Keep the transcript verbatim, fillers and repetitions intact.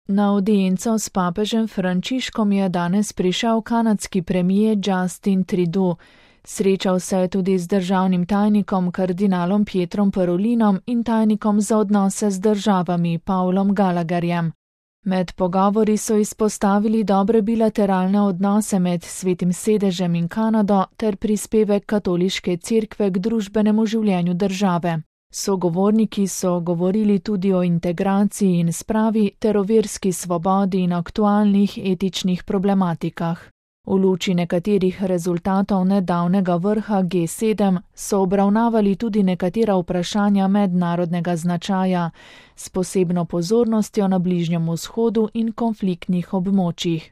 Na audienco s papežem Frančiškom je danes prišel kanadski premier Justin Trudeau. Srečal se je tudi z državnim tajnikom kardinalom Pietrom Parolinom in tajnikom za odnose z državami Paulom Gallagherjem. Med pogovori so izpostavili dobre bilateralne odnose med Svetim sedežem in Kanado ter prispevek katoliške cerkve k družbenemu življenju države. Sogovorniki so govorili tudi o integraciji in spravi ter o verski svobodi in aktualnih etičnih problematikah. V luči nekaterih rezultatov nedavnega vrha G sedem so obravnavali tudi nekatera vprašanja mednarodnega značaja, s posebno pozornostjo na Bližnjem vzhodu in konfliktnih območjih.